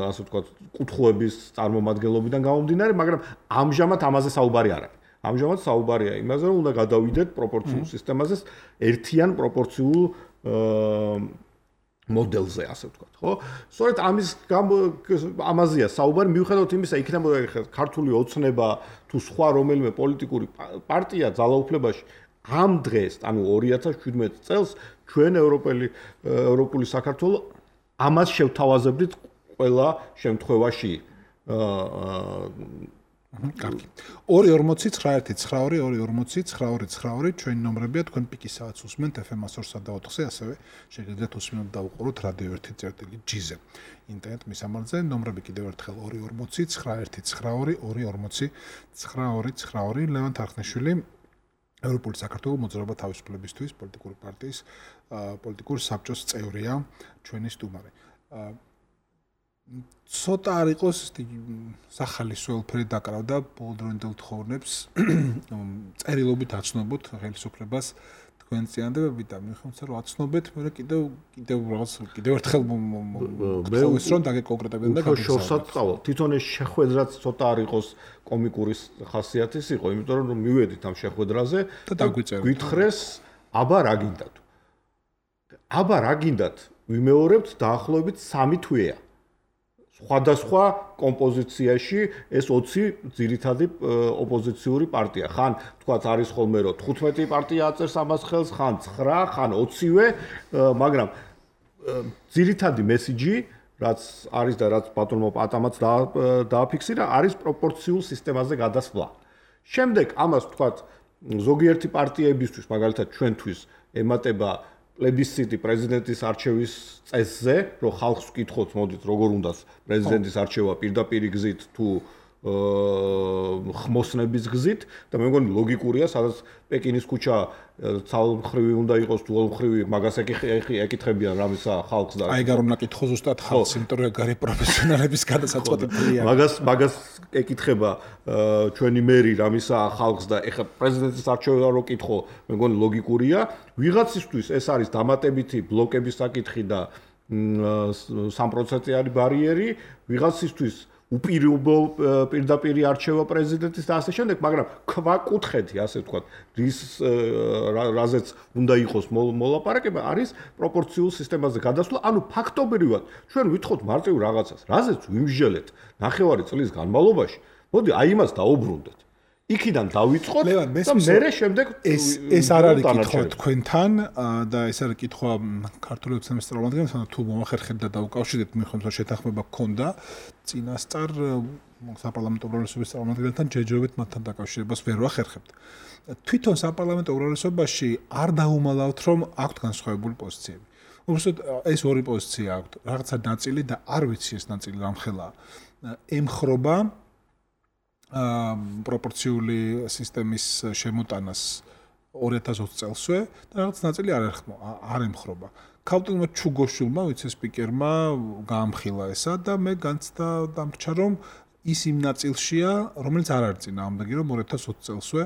ასე ვთქვათ, კუთხეების წარმომადგენლობიდან გამომდინარე, მაგრამ ამჟამად ამაზე საუბარი არ არის. ამჟამად საუბარია იმაზე, რომ უნდა გადავიდეთ პროპორციულ სისტემაზე, ერთიან პროპორციულ მოდელზე, ასე ვთქვათ, ხო? სწორედ ამაზეა საუბარი, მიუხედავად იმისა, იქნებოდა ქართული ოცნება თუ სხვა რომელიმე პოლიტიკური პარტია ძალაუფლებაში ამ დღეს, ანუ 2017 წელს ჩვენ ევროპული საქართველო ამას შევთავაზებდით ყველა შემთხვევაში. კარგი. 240-912-92-92 ჩვენი ნომრებია, თქვენ პიკის საათს უსმენთ FM 102-სა და 4-ზე, ასევე შეგიძლიათ უსმენოთ და უყუროთ Radio 1.G-ზე. ინტერნეტ მისამართზე ნომრები კიდევ ერთხელ 240-912-92-92 ლევან თარხნიშვილი ევროპული საქართველოს მოძრაობა თავისუფლებისთვის პოლიტიკური პარტიის პოლიტიკური საბჭოს წევრია, ჩვენი სტუმარი. ცოტა არ იყოს სახალისო ელფერი დაკრავდა ბოლდრონდელ თხოვნებს წერილობით აცნობოთ ხელისუფლებას თქვენ წინადადებები და მიხვდეთ რომ აცნობეთ, მაგრამ კიდევ რაღაც კიდევ ერთხელ მოგწევს რომ დაგეკონკრეტებდნენ და შორსაც წავალ. თვითონ ეს შეხვედრაც ცოტა არ იყოს კომიკური ხასიათის იყო, იმიტომ რომ მივედით ამ შეხვედრაზე და გვითხრეს აბა რა გინდათ. აბა რა გინდათ ვიმეორებთ დაახლოებით 3 თვეა. სხვადასხვა კომპოზიციაში ეს 20 ძირითადი ოპოზიციური პარტია. ხან თქვათ არის ხოლმე რომ 15 პარტია აწერს ამას ხელს, ხან 9, ხან 20-ვე, მაგრამ ძირითადი მესიჯი, რაც არის და რაც ბატონმა პატამაც დააფიქსირა, არის პროპორციულ სისტემაზე გადასვლა. შემდეგ ამას თქვათ ზოგიერთი პარტიებისთვის, მაგალითად ჩვენთვის ემატება პლებისციტი პრეზიდენტის არჩევის წესზე, რომ ხალხს ვკითხოთ, მოდით, როგორ უნდა პრეზიდენტის არჩევა პირდაპირ გზით თუ ხმოსნების გზით და მე მგონი ლოგიკურია, სადაც პეკინის ქუჩა ცალმხრივი უნდა იყოს თუ ოლმხრივი, მაგას ეკითხებიან რამისა ხალხს და აი გარ უნდა კითხო ზუსტად ხალხს, იმიტომ რომ გარი პროფესიონალების გადასაწყვეტი ფლია. მაგას ეკითხება ჩვენი მერი რამისა ხალხს და ეხლა პრეზიდენტის არჩევა რო კითხო, მე მგონი ლოგიკურია. ვიღაცისთვის ეს არის დამატებითი ბლოკების საკითხი და 3%-იანი ბარიერი, ვიღაცისთვის უპირობო პირდაპირი არჩევა პრეზიდენტის და ასე შემდეგ, მაგრამ ქვაკუთხედი, ასე ვთქვათ, რაზეც უნდა იყოს მოლაპარაკება, არის პროპორციულ სისტემაზე გადასვლა, ანუ ფაქტობრივად ჩვენ ვითხოვთ მარტივ რაღაცას, რაზეც ვიმსჯელეთ 9 წლის განმავლობაში, მოდი აი იმას დაუბრუნდეთ. იქიდან დავიწყოთ და მერე შემდეგ ეს არ არის კითხვა თქვენთან და ეს არის კითხვა ქართული ოცნების წარმომადგენლებთან, თუ მომახერხებთ და დაუკავშირებთ, მიხვდეთ რომ შეთანხმება გქონდა წინასწარ საპარლამენტო უმრავლესობის წარმომადგენლებთან, ჯერჯერობით მათთან დაკავშირებას ვერ ვახერხებთ. თვითონ საპარლამენტო უმრავლესობაში არ დაუმალავთ, რომ აქვთ განსხვავებული პოზიციები. უბრალოდ ეს ორი პოზიცია აქვთ, რაღაცა ნაწილი და არ ვიცი ეს ნაწილი რამხელაა. ემხრობა პროპორციული სისტემის შემოტანას 2020 წელსვე და რაღაც ნაწილი არ ემხრობა. ქავტილმა ჩუგოშვილმა, ვიცე-სპიკერმა გაამხილა ესა და მე განცდა დამრჩა, რომ ის იმ ნაწილშია, რომელიც არ არის წინააღმდეგი, რომ 2020 წელსვე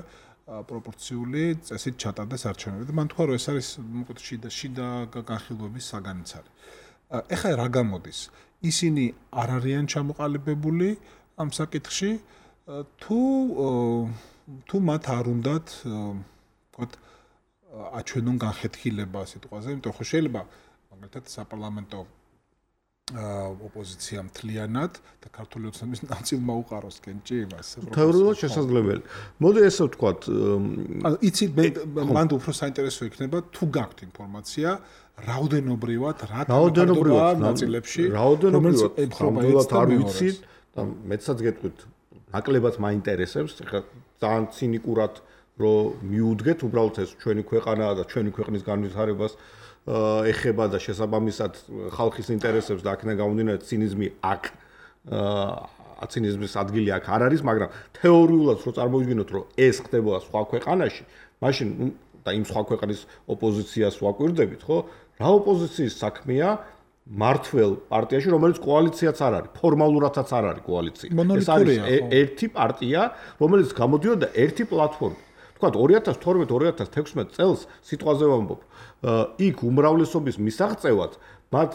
პროპორციული წესით ჩატარდეს არჩევნები. და მან თქვა, რომ ეს არის მოკლედ შიდა განხილვების საგანიცარი. ეხლა რა გამოდის? ისინი არ არიან ჩამოყალიბებული ამ საკითხში თუ მათ არ უნდათ ვთქვათ აჩვენონ განხეთქილება სიტყვაზე, იმიტომ რომ შეიძლება მაგალითად საპარლამენტო ოპოზიცია მთლიანად და ქართული ოცნების ნაწილმა უყაროს კენჭი იმას. თეორიულად შესაძლებელი. მოდი ესე ვთქვათ, ანუ იცით მანდ უფრო საინტერესო იქნება თუ გაქვთ ინფორმაცია რაოდენობრივად რა თანხმობა ნაწილებში რაოდენობრივად არ ვიცით და მეცაც გეტყვით ნაკლებად მაინტერესებს ხა ძალიან ცინიკურად რომ მიუდგეთ უბრალოდ ეს ჩვენი ქვეყანა და ჩვენი ქვეყნის განვითარებას ეხება და შესაბამისად ხალხის ინტერესებს და აქედან გამომდინარე ცინიზმი აქ ცინიზმის ადგილი აქ არ არის, მაგრამ თეორიულად რო წარმოვიდგინოთ რომ ეს ხდებოდა სხვა ქვეყანაში, მაშინ და იმ სხვა ქვეყნის ოპოზიციას ვაკვირდებით, ხო? რა ოპოზიციის საქმეა მართლ პარტიაში, რომელიც კოალიციაც არ არის, ფორმალურადაც არ არის კოალიცია. ეს არის ერთი პარტია, რომელიც გამოდიოდა ერთი პლატფორმით. თქვათ 2012-2016 წელს სიტყვაზე ვამბობ, იქ უმრავლესობის მისაღწევად მათ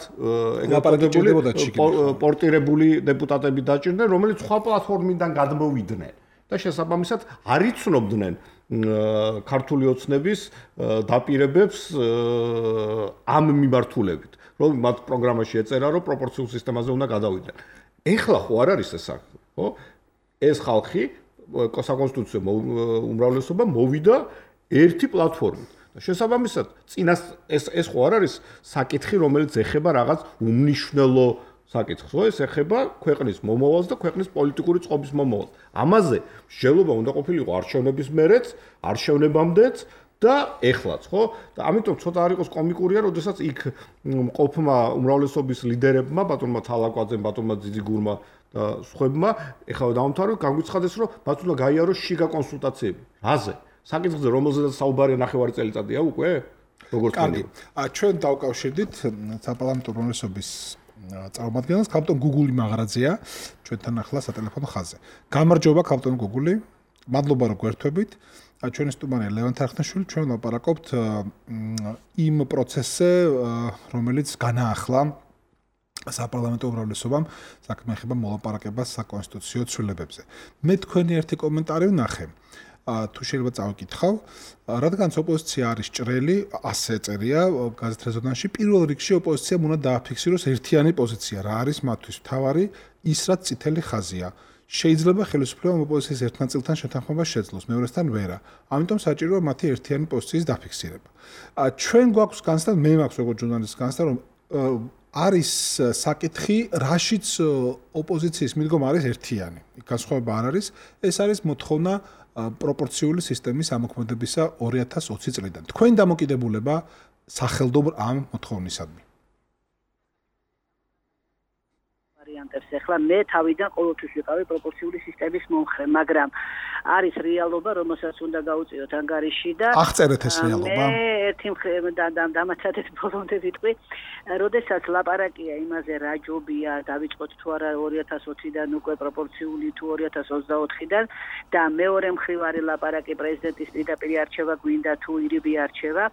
პორტირებული დეპუტატები დაჭირდნენ, რომელიც სხვა პლატფორმიდან გადმოვიდნენ და შესაბამისად არ იცნობდნენ ქართული ოცნების დაპირებებს ამ მიმართულებით, რომ მათ პროგრამაში ეწერა, რომ პროპორციულ სისტემაზე უნდა გადავიდნენ. ეხლა ხო არ არის ეს საქმე, ხო? ეს ხალხი საკონსტიტუციო უმრავლესობა მოვიდა ერთი პლატფორმით. შესაბამისად, წინას ეს ხო არ არის საკითხი, რომელიც ეხება რაღაც უმნიშვნელო საკითხს, ხო? ეს ეხება ქვეყნის მომავალს და ქვეყნის პოლიტიკური წყობის მომავალს. ამაზე მსჯელობა უნდა ყოფილიყო არჩევნების მერეც, არჩევნებამდეც და ეხლაც, ხო? და ამიტომ ცოტა არ იყოს კომიკურია, როდესაც იქ მყოფმა უმრავლესობის ლიდერებმა, ბატონმა თალაკვაძემ, ბატონმა ძიძიგურმა და სხვებმა, ეხლა დავამთავროთ, განგვიცხადეს, რომ მათ უნდა გაიაროს შიგა კონსულტაციები. რაზე? საკითხზე, რომელზედაც საუბარია 9 წელიწადია უკვე? როგორც კარგი. ჩვენ დავკავშირდით საპარლამენტო უმრავლესობის წარმომადგენელს, ქალბატონ გუგული მაღრაძეა, ჩვენთან ახლა სატელეფონო ხაზზე. გამარჯობა ქალბატონ გუგული. მადლობა რომ გვერთვებით. ჩვენი სტუმარია ლევან თარხნიშვილი, ჩვენ ვლაპარაკობთ იმ პროცესზე, რომელიც განაახლა საპარლამენტო უმრავლესობამ საქმე ეხება მოლაპარაკებას საკონსტიტუციო ცვლილებებზე. მე თქვენი ერთი კომენტარი ვნახე. თუ შეიძლება წავიკითხავ, რადგანაც ოპოზიცია არის ჭრელი, ასე წერია გაზეთ რეზონანსში, პირველ რიგში ოპოზიციამ უნდა დააფიქსიროს ერთიანი პოზიცია, რა არის მათთვის მთავარი, ის რაც წითელი ხაზია. შეიძლება ხელისუფლებამ ოპოზიციის ერთ ნაწილთან შეთანხმებას შეძლოს, მეორესთან ვერა. ამიტომ საჭიროა მათი ერთიანი პოზიციის დაფიქსირება. ჩვენ გვაქვს განცდა, მე მაქვს როგორც ჟურნალისტის განცდა, რომ არის საკითხი, რაშიც ოპოზიციის მიდგომა არის ერთიანი. განსხვავება არ არის, ეს არის მოთხოვნა პროპორციული სისტემის ამოქმედებისა 2020 წლიდან. თქვენი დამოკიდებულება სახელდობრ ამ მოთხოვნისადმი. ვარიანტებს ახლა მე თავიდან ყოველთვის ვიყავი პროპორციული სისტემის მომხრე, მაგრამ არის რეალობა, რომელსაც უნდა გაუწიოთ ანგარიში და აღწერეთ ეს რეალობა. მე ერთი დამაცადეთ ბოლომდე ვიტყვი, როდესაც ლაპარაკია იმაზე რა ჯობია, დავიწყოთ თუ არა 2020-დან უკვე პროპორციული თუ 2024-დან და მეორე მხრივ არის ლაპარაკი პრეზიდენტის პირდაპირ არჩევა გვინდა თუ ირიბი არჩევა,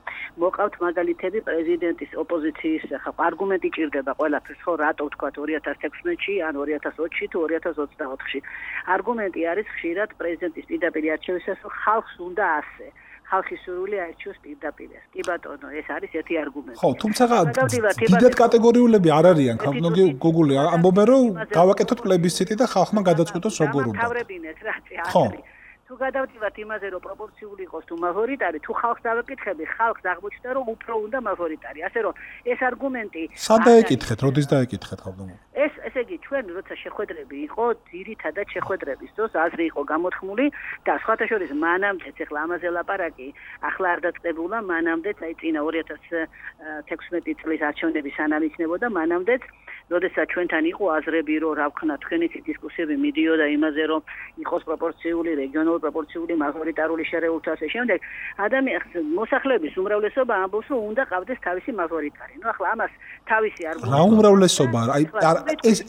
მოყავთ მაგალითები პრეზიდენტის ოპოზიციის არგუმენტი ჭირდება ყველაფერს, ხო, რატო ვთქვათ 2016-ში ან 2020-ში თუ 2024-ში. არგუმენტი არის ხშირად პრეზიდენტის პირდაპირ არჩევისას, რომ ხალხს უნდა ასე. ხალხის სურვილი აირჩიოს პირდაპირ. კი ბატონო, ეს არის ერთი არგუმენტი. ხო, თუმცა დიდად კატეგორიულები არ არიან, ქალბატონი გუგული, ამბობენ რომ გავაკეთოთ პლებისციტი და ხალხმა გადაწყვიტოს როგორ უნდა. თავრებინეთ რა წი. თუ გადავდივართ იმაზე, რომ პროპორციული იყოს თუ მაჟორიტარი, თუ ხალხს დავეკითხები, ხალხს აღმოჩნდა, რომ უფრო უნდა მაჟორიტარი. ასე რომ ეს არგუმენტი სად დაეკითხეთ, როდის დაეკითხეთ ხალხმა? ესე იგი, ჩვენ როცა შეხვედრები იყო, ძირითადად შეხვედრების დროს აზრი იყო გამოთქმული და სხვათა შორის მანამდეც, ახლა ამაზე ლაპარაკი, ახლა არ დაწყებულა, მანამდეც, აი წინა 2016 წლის არჩევნების სანამ იქნებოდა, მანამდეც როდესაც ჩვენთან იყო აზრები, რომ რა ვქნა, თქვენი დისკუსიები მიდიოდა იმაზე, რომ იყოს პროპორციული, რეგიონალური პროპორციული, მაჟორიტარული შეერთულთა ასე შემდეგ, ადამიანს მოსახლეობის უმრავლესობა ამბობს, რომ უნდა ყავდეს თავისი მაჟორიტარი. ნუ ახლა ამას თავისი არგუმენტი. რა უმრავლესობა? აი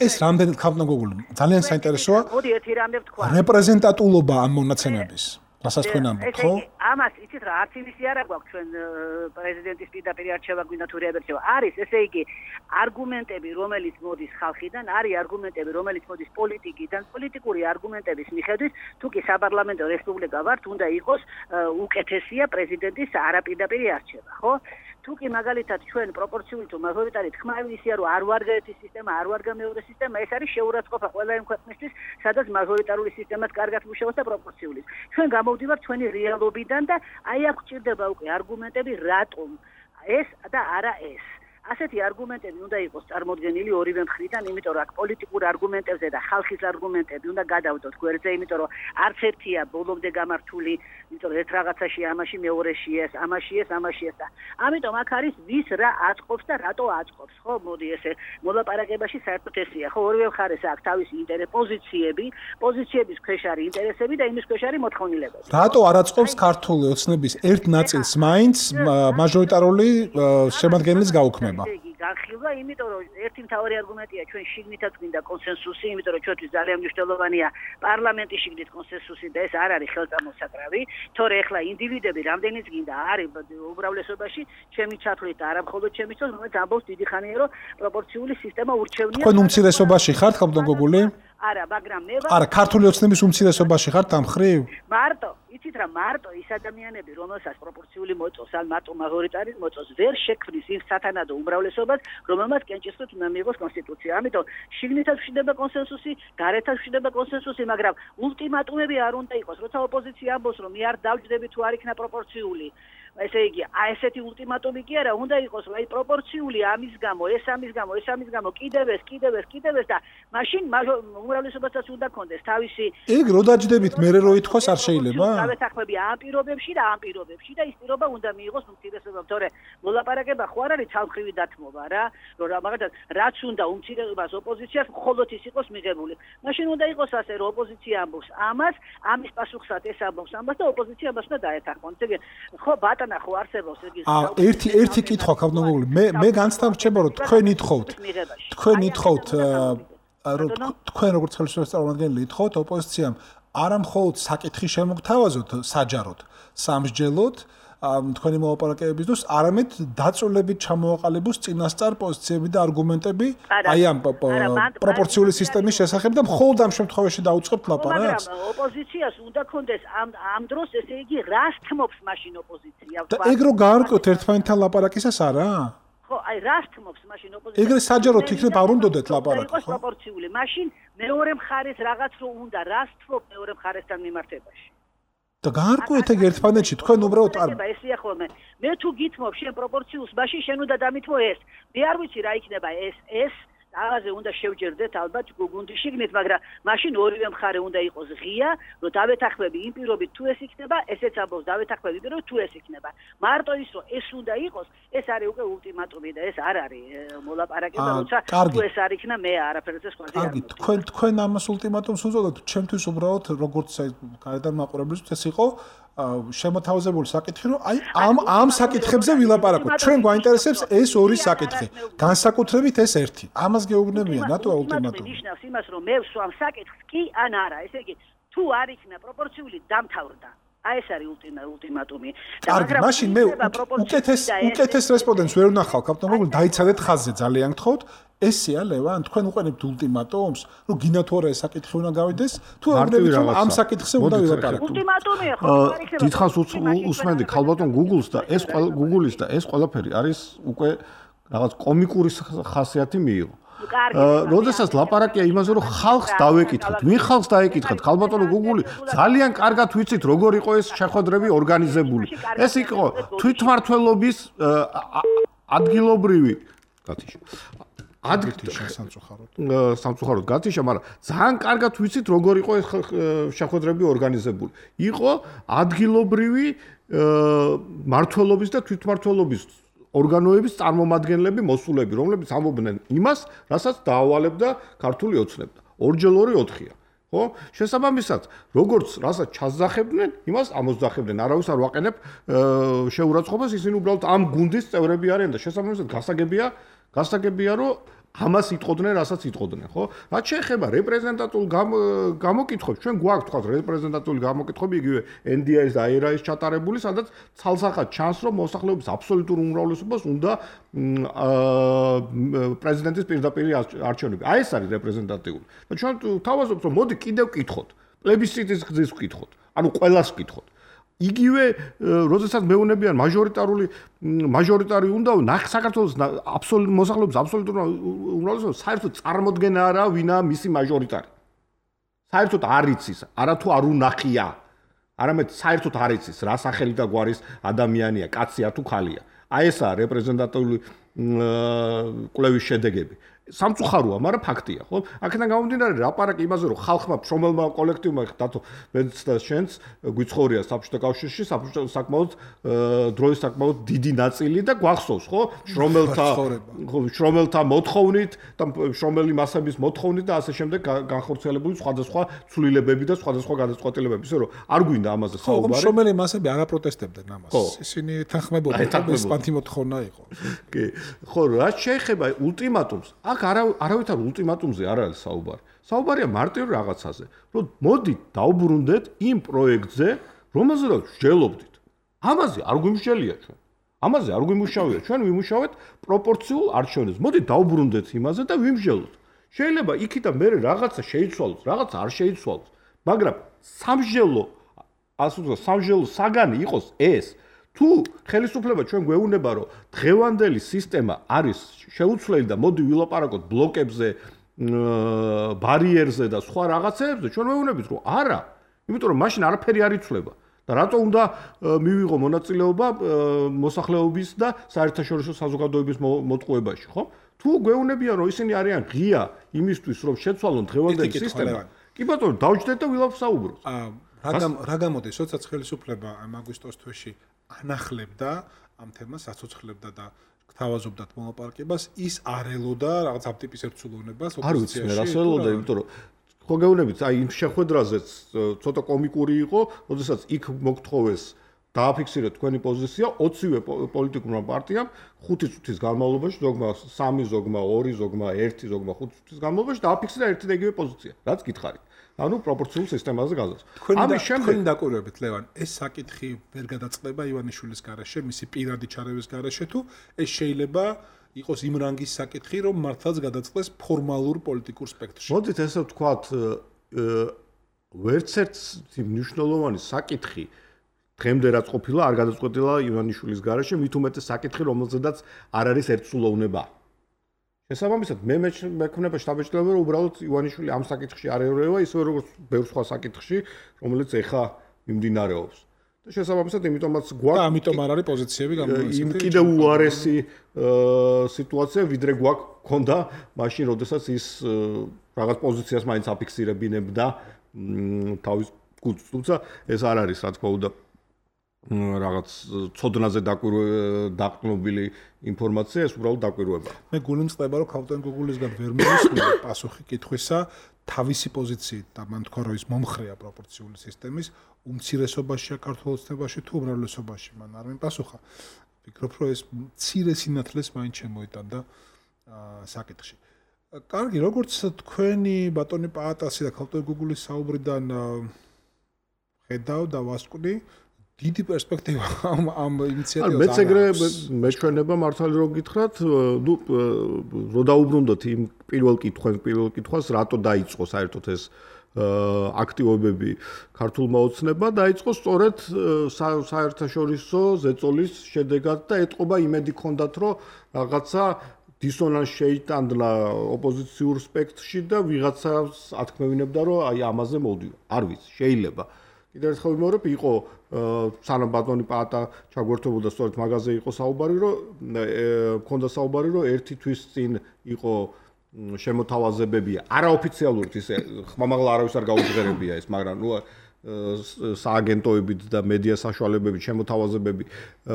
ეს რამდენად ქალბატონგული ძალიან საინტერესოა. მოდი ერთი რამე ვთქვა. რეპრეზენტატულობა ამ მონაცემების. რასაც თქვენ ამბობთ, ხო? ამას იცით რა, არც იმისი არა გვაქვს ჩვენ პრეზიდენტის პირდაპირ არჩევა გვინდა თუ რეაბერჩევა. არის, ესე იგი, არგუმენტები, რომელიც მოდის ხალხიდან, არის არგუმენტები, რომელიც მოდის პოლიტიკიდან, პოლიტიკური არგუმენტების მიხედვით, თუ კი საპარლამენტო რესპუბლიკა ვართ, უნდა იყოს უკეთესია პრეზიდენტის არაპირდაპირი არჩევა, ხო? თუ თუ კი მაგალითად ჩვენ პროპორციული თუ მაჟორიტარი თქმა ისია რომ არ ვარგა ერთი სისტემა, არ ვარგა მეორე სისტემა, ეს არის შეურაცხყოფა ყველა იმ ქვეყნისთვის, სადაც მაჟორიტარული სისტემაც კარგად მუშაობს და პროპორციულის. ჩვენ გამოვდივართ ჩვენი რეალობიდან და აი აქ გვჭირდება უკვე არგუმენტები რატომ ეს და არა ეს. ასეთი არგუმენტები უნდა იყოს წარმოდგენილი ორივე მხრიდან, იმიტომ რომ აქ პოლიტიკურ არგუმენტებზე და ხალხის არგუმენტები უნდა გადავდოთ გვერდზე, იმიტომ რომ არც ერთია ბოლომდე გამართული, იმიტომ რომ ერთ რაღაცაში ამაში მეორეში ეს, ამაში ეს და ამიტომ აქ არის ვის რა აწყობს და რატო აწყობს, ხო? მოდი ესე მოლაპარაკებაში საერთოდ ესია, ხო? ორივე მხარეს აქვს თავისი პოზიციების ქვეშ არის ინტერესები და იმის ქვეშ არის მოთხოვნილებები. რატო არ აწყობს ქართული ოცნების ერთ ნაწილს მაინც მაჟორიტარული შემადგენლის გაუქმება? განხილვა, იმიტომ რომ ერთი მთავარი არგუმენტია ჩვენ შიგნითაც გვინდა კონსენსუსი, იმიტომ რომ ჩვენთვის ძალიან მნიშვნელოვანია პარლამენტის შიგნით კონსენსუსი და ეს არ არის ხელწამოსაკრავი, თორე ახლა ინდივიდები რამდენიც გინდა არის უმრავლესობაში, ჩემი ჩათვლით და არა მხოლოდ ჩემი თავს, რომელიც ამბობს დიდი ხანია რომ პროპორციული სისტემა ურჩევნია. თქვენ უმცირესობაში ხართ, ხალხო გოგული? არა, მაგრამ მე არა, ქართული ოცნების უმცირესობაში ხართ ამ ხრივ? მარტო, იცით რა, მარტო ის ადამიანები, რომელსაც პროპორციული მოწოს, ან მარტო მაჟორიტარი მოწოს, ვერ შექმნის იმ სათანადო უმრავლესობას, რომელმაც კენჭისყრით უნდა მიიღოს კონსტიტუცია. ამიტომ შიგნითაც ვშდება კონსენსუსი, გარეთაც ვშდება კონსენსუსი, მაგრამ ულტიმატუმები არ უნდა იყოს, როცა ოპოზიცია ამბობს, რომ მე არ დავჯდები თუ არ იქნა პროპორციული. ესე იგი, ესეთი ულტიმატუმი კი არა, უნდა იყოს, აი პროპორციული ამის გამო, ეს ამის გამო, კიდევ ეს და მაშინ უმრავლესობასაც უნდა კონდეს თავისი. ეგ რო დაჯდებით მე რო ითქოს არ შეიძლება? დავეთანხმები ამ პირობებში და ის პირობა უნდა მიიღოს უმცირესობამ, თორე მოლაპარაკება ხო არ არის ცალმხრივი დათმობა რა, რომ მაგალითად რაც უნდა უმცირესობას ოპოზიციას მხოლოდ ის იყოს მიღებული. მაშინ უნდა იყოს ასე, რომ ოპოზიცია ამბობს ამას, ამის პასუხსაც ეს ამბობს ამას და ოპოზიცია ამას უნდა დაეთანხმოს. ესე იგი, ხო ბატონა ხო არსებობს ეგ ის ერთი კითხვა ქავდნოგული მე განცდა რჩება რომ თქვენ ითხოვთ თქვენ როგორც ხელისუფლების წარმომადგენელი ითხოვთ ოპოზიციამ არა მხოლოდ საკითხი შემოგთავაზოთ საჯაროდ სამსჯელოდ თქვენი მოლაპარაკებების დროს არამედ დაწვრილებით ჩამოაყალიბოს წინასწარ პოზიციები და არგუმენტები აი ამ პროპორციული სისტემის შესახებ და მხოლოდ ამ შემთხვევაში დაუწყებთ ლაპარაკს. მაგრამ ოპოზიციას უნდა კონდეს ამ დროს ესე იგი რას თმობს მაშინ ოპოზიცია? და ეგ რო გაარკვევთ ერთმანეთთან ლაპარაკისას არა? ხო, აი რას თმობს მაშინ ოპოზიცია? ეგრე საჯაროდ იქნებ არ უნდოდეთ ლაპარაკი, ხო? პროპორციული. მაშინ მეორე მხარეს რაღაც რო უნდა, რას თმობ მეორე მხარესთან მიმართებაში? და გაარკვევთ ეგ ერთმანეთში თქვენ უბრალოდ არ ესია ხოლმე მე თუ გითმობ შენ პროპორციულს მაშინ შენ უნდა დამითმო ეს მე არ ვიცი რა იქნება ეს რაღაცე უნდა შევჯერდეთ ალბათ გუნდის შიგნით მაგრამ მაშინ ორივე მხარე უნდა იყოს ღია რომ დავეთანხმები იმ პირობით თუ ეს იქნება ესეც ამბობს დავეთანხმები პირობით თუ ეს იქნება მარტო ის რომ ეს უნდა იყოს ეს არის უკვე ულტიმატუმი და ეს არ არის მოლაპარაკება როცა თუ ეს არ იქნა მე არაფერზე სხვა არ მოგწევ თქვენ ამას ულტიმატუმს უწოდოთ ჩემთვის უბრალოდ როგორც გარედან მაყურებლისთვის ეს იყო შემოთავაზებული საკითხი რომ აი ამ საკითხებზე ვილაპარაკოთ ჩვენ გვაინტერესებს ეს ორი საკითხი განსაკუთრებით ეს ერთი ამას გეუბნებიან რატო ულტიმატუმი ნიშნავს იმას რომ მე ვსვამ საკითხს კი ან არა ესე იგი თუ არ იქნა პროპორციული დამთავრდა აი ეს არის ულტიმატუმი და მაგრამ მაშინ მე უკეთეს რესპონდენტს ვერ ვნახავ კაპიტანო დაიცადეთ ხაზზე ძალიან გთხოვთ ესეა ლევან თქვენ უყენებთ ულტიმატუმს რომ გინდა თუ არა ეს საკითხი უნდა გავიდეს თუ აღნებით რომ ამ საკითხზე უნდა ვილაპარაკოთ ულტიმატუმია ხო დიდხანს უსმენდი ქალბატონ Google-ს და ეს Google-ის და ეს ყველაფერი არის უკვე რაღაც კომიკური ხასიათი მიიღო როდესაც ლაპარაკია იმაზე რომ ხალხს დავეკითხოთ ვინ ხალხს დაეკითხოთ ქალბატონო Google-ი ძალიან კარგად ვიცით როგორ იყო ეს შეხვედრები ორგანიზებული ეს იყო თვითმმართველობის ადგილობრივი სამწუხაროდ გათიშა, მაგრამ ძალიან კარგად ვიცით როგორ იყო ეს შეხვედრები ორგანიზებული. იყო ადგილობრივი მმართველობის და თვითმმართველობის ორგანოების წარმომადგენლები, მოსულები, რომლებიც ამბობდნენ იმას, რასაც დაავალებდა ქართული ოცნება. ორჯერ 2-4-ია. ხო? შესაბამისად, როგორც რასაც ჩასძახებდნენ, იმას ამოძახებდნენ. არავის არ ვაყენებ შეურაცხყოფას, ისინი უბრალოდ ამ გუნდის წევრები არიან და შესაბამისად გასაგებია, რომ ამას იტყოდნენ, რასაც იტყოდნენ, ხო? რაც შეეხება რეპრეზენტატულ გამოკითხვებს, ჩვენ გვაქვს თქვა რეპრეზენტატული გამოკითხვები, იგივე NDI-ის და ARI-ის ჩატარებული, სადაც ცალსახად ჩანს, რომ მოსახლეობის აბსოლუტურ უმრავლესობას უნდა პრეზიდენტის პირდაპირი არჩევნები. აი ეს არის რეპრეზენტატიული. და ჩვენ თავაზობთ, რომ მოდი კიდევ ვკითხოთ, პლებისციტის გზის ვკითხოთ, ანუ ყველას ვკითხოთ. იგივე როდესაც მეუნებიან მაჟორიტარი უნდა საქართველოს მოსახლეობის აბსოლუტურ უმრავლესობას საერთოდ წარმოდგენა არა ვინაა მისი მაჟორიტარი. საერთოდ არ იცის, არათუ არ უნახია. არამედ საერთოდ არ იცის რა სახელი და გვარის ადამიანია, კაცია თუ ხალია. აი ესაა რეპრეზენტატიული კვლევის შედეგები. სამწუხაროა, მაგრამ ფაქტია, ხო? აქედან გამომდინარე, ლაპარაკი იმაზე, რომ ხალხმა, შრომელმა კოლექტივმა, დათო მეც და შენც გვიცხოვრია საბჭოთა კავშირში, საკმაოდ დროის საკმაოდ დიდი ნაწილი და გვახსოვს, ხო? შრომელთა მოთხოვნით და შრომელი მასების მოთხოვნით და ასე შემდეგ განხორციელებული სხვადასხვა ცვლილებები და სხვადასხვა გადაწყვეტილებები, ისე რომ არ გვინდა ამაზე საუბარი. ხო, შრომელი მასები არ აპროტესტებდნენ ამას. ისინი თანხმებოდნენ, ეს პანთი მოთხოვნა იყო. კი. ხო, რაც შეეხება ულტიმატუმს, არავითარ ულტიმატუმზე არ არის საუბარი. საუბარია მარტივ რაღაცაზე, რომ მოდით დავბრუნდეთ იმ პროექტზე, რომელზედაც ვსჯელობდით. ამაზე არ გვიმსჯელია ჩვენ. ამაზე არ გვიმუშავია. ჩვენ ვიმუშავეთ პროპორციულ არჩევნებს. მოდით დავბრუნდეთ იმაზე და ვიმსჯელოთ. შეიძლება იქიდან მე რაღაცა შეიცვალოს, რაღაცა არ შეიცვალოს, მაგრამ სამსჯელო საგანი იყოს ეს. თუ ხელისუფლება ჩვენ გვეუბნება, რომ დღევანდელი სისტემა არის შეუცვლელი და მოდი ვილაპარაკოთ ბლოკებზე, ბარიერზე და სხვა რაღაცებზე, ჩვენ ვეუბნებით, რომ არა, იმიტომ რომ მაშინ არაფერი არ იცვლება. და რატო უნდა მივიღო მონაწილეობა მოსახლეობის და საერთაშორისო საზოგადოების მოტყუებაში, ხო? თუ გვეუბნებიან, რომ ისინი არიან ღია იმისთვის, რომ შეცვალონ დღევანდელი სისტემა, კი ბატონო, დავჯდეთ და ვილაპარაკოთ. რა გამოდის, როდესაც ხელისუფლება აგვისტოს თვეში ანახლებდა ამ თემას, აცოცხლებდა და გთავაზობდათ მოლაპარაკებას, ის არ ელოდა რაღაც ამ ტიპის ერთსულოვნებას ოპოზიციაში. არ ვიცი, რას ელოდა, იმიტომ რომ ხო გეუბნებით, აი იმ შეხვედრაზეც ცოტა კომიკური იყო, როდესაც იქ მოგთხოვეს დააფიქსირეთ თქვენი პოზიცია 20-ვე პოლიტიკურმა პარტიამ 5 წუთის განმავლობაში, ზოგმა 3, ზოგმა 2, ზოგმა 1, ზოგმა 5 წუთის განმავლობაში დააფიქსირა ერთი და იგივე პოზიცია. რაც გითხარით. ანუ პროპორციულ სისტემაზე გაზრდა. ამის შემდეგ დაკვირვებით ლევან, ეს საკითხი ვერ გადაწყდება ივანიშვილის გარეშე, მისი პირადი ჩარევის გარეშე თუ ეს შეიძლება იყოს იმ რანგის საკითხი, რომ მართლაც გადაწყდეს ფორმალურ პოლიტიკურ სპექტრში. მოდით ესე ვთქვათ, ვერც ერთი მნიშვნელოვანი საკითხი დღემდე რაც ყოფილა, არ გადაწყვეტილა ივანიშვილის გარეშე, მით უმეტეს საკითხი, რომელზედაც არ არის ერთსულოვნება. შესაბამისად, მე მექნება შტაბ-ბიჭდება, რომ უბრალოდ ივანიშვილი ამ საკითხში არ ერევა, ისე როგორც ბევრ სხვა საკითხში, რომელიც ეხა მიმდინარეობს. და შესაბამისად, იმიტომაც გვაქვს და ამიტომ არ არის პოზიციები გამოიკვლინა. კიდევ უარესი სიტუაცია, ვიდრე გვაქვს ქონდა მაშინ, როდესაც ის რაღაც პოზიციას მაინც აფიქსირებინებდა თავის კუთხით. თუმცა ეს არ არის, რა თქმა უნდა, რაღაც ცოდნაზე დაყრდნობილი ინფორმაცია, ეს უბრალოდ დაკვირვება. მე გულიმწყდება, რომ ქალბატონ გუგულისგან ვერ მოვისმინე პასუხი კითხვისა თავისი პოზიციით და მან თქვა, რომ ის მომხრეა პროპორციული სისტემის უმცირესობაშია ქართულ ოცნებაში თუ უმრავლესობაში, მან არ მიპასუხა. ვფიქრობ, რომ ეს მცირე სინათლეს მაინც შემოიტანდა საკითხში. კარგი, როგორც თქვენი ბატონი პაატასი და ქალბატონ გუგულის საუბრიდან ხედავ და ვასკვნი დიდი პერსპექტივა ამ ინიციატივას. მეც ეგრე მეჩვენება მართალი რომ გითხრათ, ნუ რო დაუბრუნდოთ იმ პირველ კითხვას, რატო დაიწყო საერთოდ ეს აქტივობები ქართულმა ოცნებმა, დაიწყო სწორედ საერთაშორისო ზეწოლის შედეგად და ეტყობა იმედი ჰქონდათ, რომ რაღაცა დისონანსი შეიტანდა ოპოზიციურ სპექტრში და ვიღაცას ათქმევინებდა, რომ აი ამაზე მოვდიო. არ ვიცი, შეიძლება. კიდევ ერთხელ ვიმეორებ, იყო სანამ ბატონი პაატა ჩაგვერთვებოდა სწორედ მაგაზე იყო საუბარი, რომ მქონდა საუბარი, რომ ერთი თვის წინ იყო შემოთავაზებები, არაოფიციალურად ისე ხმამაღლა არავის არ გაუჟღერებია ეს, მაგრამ ნუ სააგენტოებით და მედია საშუალებებით შემოთავაზებები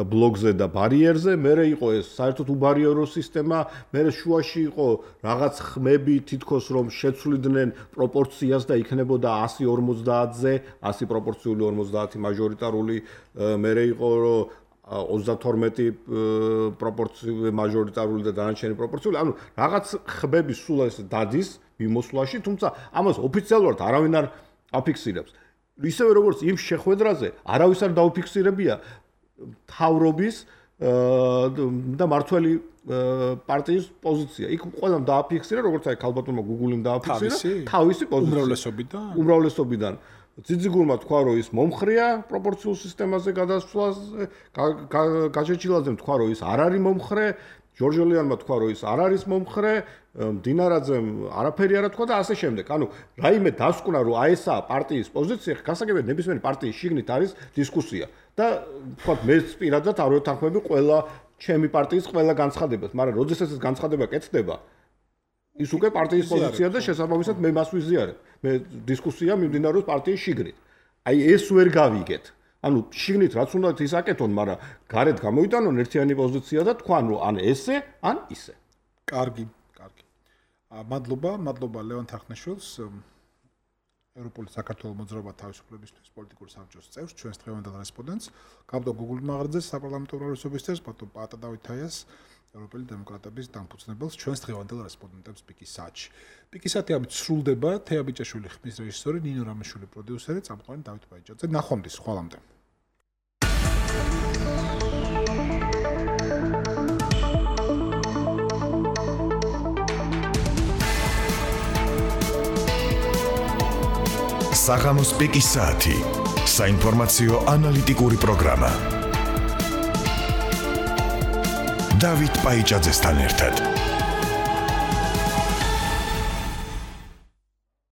ბლოგზე და ბარიერზე, მერე იყო ეს საერთოდ უბარიერო სისტემა, მერე შუაში იყო რაღაც ხმები თითქოს რომ შეცვლიდნენ პროპორციას და იქნებოდა 100-50-ზე, 100 პროპორციული 50 მაჟორიტარული, მერე იყო რომ 32 პროპორციული მაჟორიტარული და დანარჩენი პროპორციული, ანუ რაღაც ხმები სულ ეს დადის მიმოსვლაში, თუმცა ამას ოფიციალურად არავინ არ აფიქსირებს. ისევე როგორც იმ შეხვედრაზე არავის არ დაუფიქსირებია თავრობის და მართველი პარტიის პოზიცია. იქ ყველამ დააფიქსირა, როგორც აი ქალბატონმა გუგულიმ დააფიქსირა თავისი პოზიცია უმრავლესობიდან. ძიძიგურმა თქვა რომ ის მომხრეა პროპორციულ სისტემაზე გადასვლაზე, გაჩეჩილაძემ თქვა რომ ის არ არის მომხრე, ჯორჯოლიანმა თქვა რომ ის არ არის მომხრე, დინარაძემ არაფერი არ თქვა და ასე შემდეგ. ანუ რაიმე დასკვნა რომ აი ესაა პარტიის პოზიცია, გასაგებია ნებისმიერი პარტიის შიგნით არის დისკუსია და თქვა მე პირადად არ ვეთანხმები ყველა ჩემი პარტიის ყველა განცხადებას, მაგრამ როდესაც ეს განცხადება კეთდება ის უკვე პარტიის პოზიცია და შესაბამისად მე მას ვიზიარებ. მე დისკუსია მიმდინარეობს პარტიის შიგნით. აი ეს ვერ გავიგეთ. ანუ შიგნით რაც უნდა ის აკეთონ, მაგრამ გარეთ გამოიტანონ ერთიანი პოზიცია და თქვან რომ ან ესე, ან ისე. კარგი. მადლობა ლევან თახნაშვილს, ევროპული საქართველოს მოძრაობა თავისუფლებისთვის პოლიტიკური საბჭოს წევრს, ჩვენს დღევანდელ რესპონდენტს, გაბდო გუგულმაღარძეს, საპარლამენტო უმრავლესობისთვის, ბატონ პატა დავითაიას, ევროპელი დემოკრატების დამფუძნებელს, ჩვენს დღევანდელ რესპონდენტებს პიკის საათში. პიკის საათი ამით სრულდება, თეა ბიჭაშვილი ხმის რეჟისორი, ნინო რამეშვილი პროდიუსერი, წამყვანი დავით ბაიჭაძე. ნახვამდის, ხვალამდე. საღამოს პიკის საათი. საინფორმაციო ანალიტიკური პროგრამა. დავით ბაიჭაძესთან ერთად.